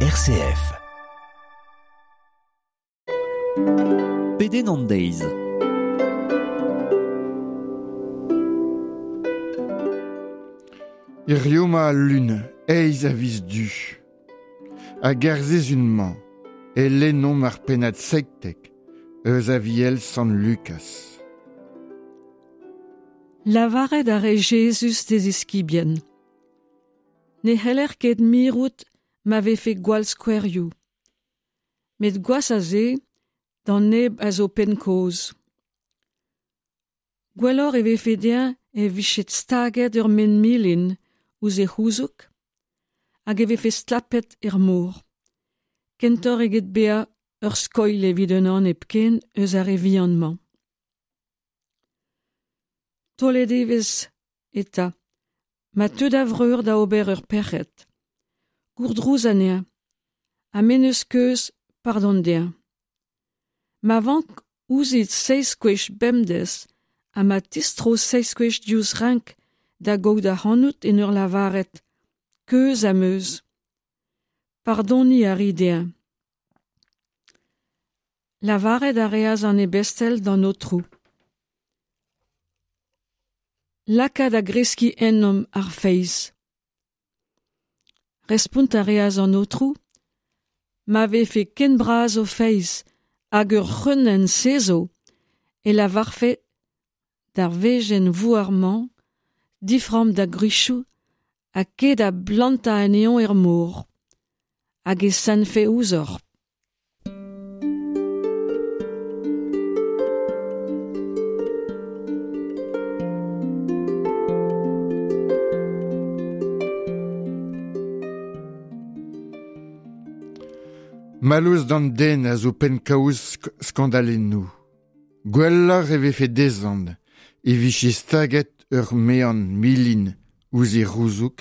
RCF. Pedenn an deiz. Hirio ma al lun, eizh a viz Du. Hag er sizhun-mañ e lennomp ar pennad 17 eus Aviel Sant Lukaz. Lavaret a rae Jezuz d'e ziskibien. Ne c'heller ket mirout ma vefe gwall skouerioù. Met gwazh a se d'an neb a zo penn-kozh. Gwelloc'h e vefe dezhañ e vije staget ur maen-milin ouzh e c'houzoug hag e vefe stlapet er mor, kentoc'h eget bezañ ur skoilh evit unan hepken eus ar re vihan-mañ. Taolet evezh eta, ma teu da vreur da ober ur pec'hed, gourdrouz anezhañ, ha m'en deus keuz, pardon dezhañ. Ma vank ouzhit seizh gwech bemdez ha ma tistro seizh gwech diouzh renk da gaout ac'hanout en ur lavaret keuz am eus. Pardoniñ a ri dezhañ. Lavaret a reas an ebestel d'an Aotrou. Laka da greskiñ ennomp ar feiz. Respont a reas an Aotrou, ma vefe ken bras ho feiz hag ur c'hreunenn sezv e lavarfe d'ar wezenn vouar-mañ diframm da gwrizioù ha ket da blantañ anezhañ er mor, hag e sentfe ouzhoc'h. Mallozh d'an den a zo penn-kaoz skandalennoù. Gwelloc'h e vefe dezhañ e vije staget ur mean milin ouzh e c'houzoug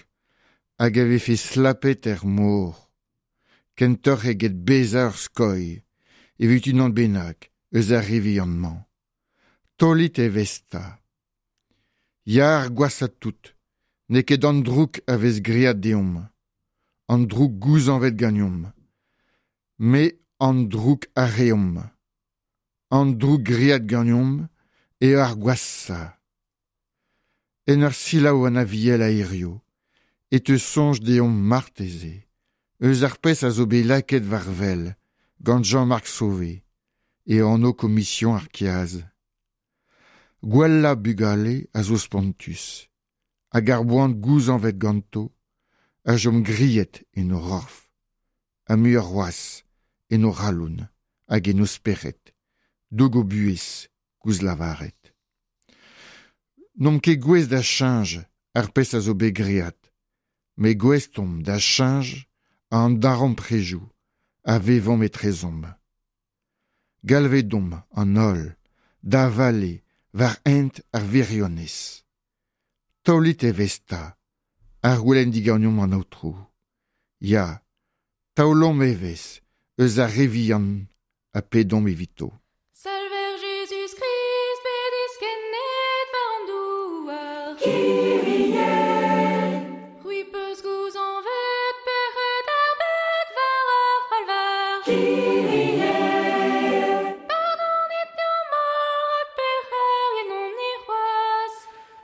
hag a vefe slapet er mor, kentoc'h eget bezañ ur skoilh evit unan bennak eus ar re vihan-mañ. Taolit evezh 'ta. Ya ar gwashañ tout, n'eo ket an droug a vez graet deomp, an droug gouzañvet ganeomp, met an droug a reomp. An droug graet ganeomp eo ar gwashañ. En ur selaou an Aviel a hirio e teu soñj deomp marteze eus ar pezh a zo bet lakaet war wel gant Jean-Marc Sauvé e anv Komision ar Kiaz. Gwellañ bugale a zo spontus hag ar boan gouzañvet ganto a chom grilhet en o c'horf ha muioc'h c'hoazh en o c'halon hag en o spered, doug o buhez, koulz lavaret. N'omp ket gouest da cheñch ar pezh a zo bet graet, met gouest omp da cheñch an darempredoù a vevomp etrezomp. Galvet omp an holl da vale war hent ar wirionez. Taolit evezh 'ta, a c'houlenn diganeomp an Aotrou. Ya, taolomp evezh eus ar re vihan ha pedomp evito. Salver Jezuz-Krist bet diskennet war an douar. C'hwi 'peus gouzañvet pec'hed ar bed war ar c'halvar. Pardonit deomp holl rak pec'herien omp-ni c'hoazh.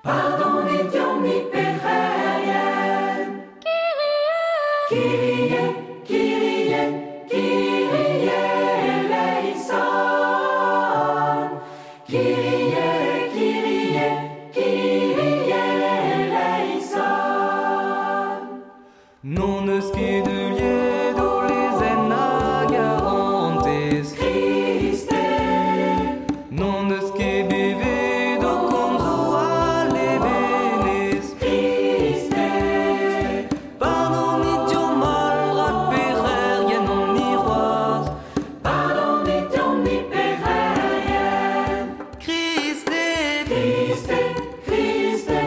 Pardonit deomp-ni pec'herien. Kyrie! Kyrie, Kyrie, Kyrie eleison. Kyrie, Kyrie, Kyrie eleison. N'hon eus ket heuliet ho lezenn a garantez. Kriste. N'hon eus ket bevet ho komzoù a levenez. Kriste. Pardonit deomp holl rak pec'herien omp-ni c'hoazh. Pardonit deomp-ni pec'herien. Kriste. Kriste, Kriste,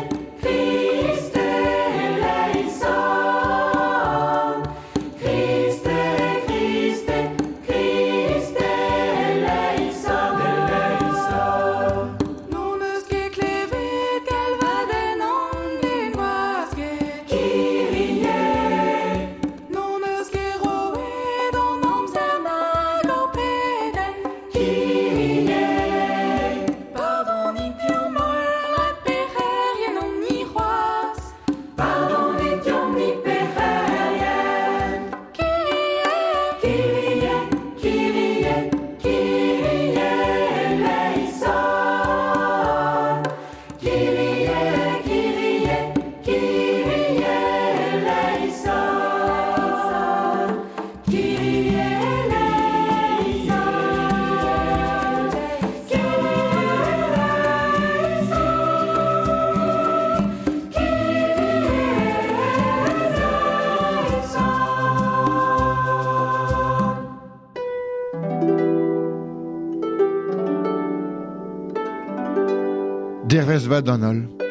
Kriste eleison. Dervez vat d'an holl.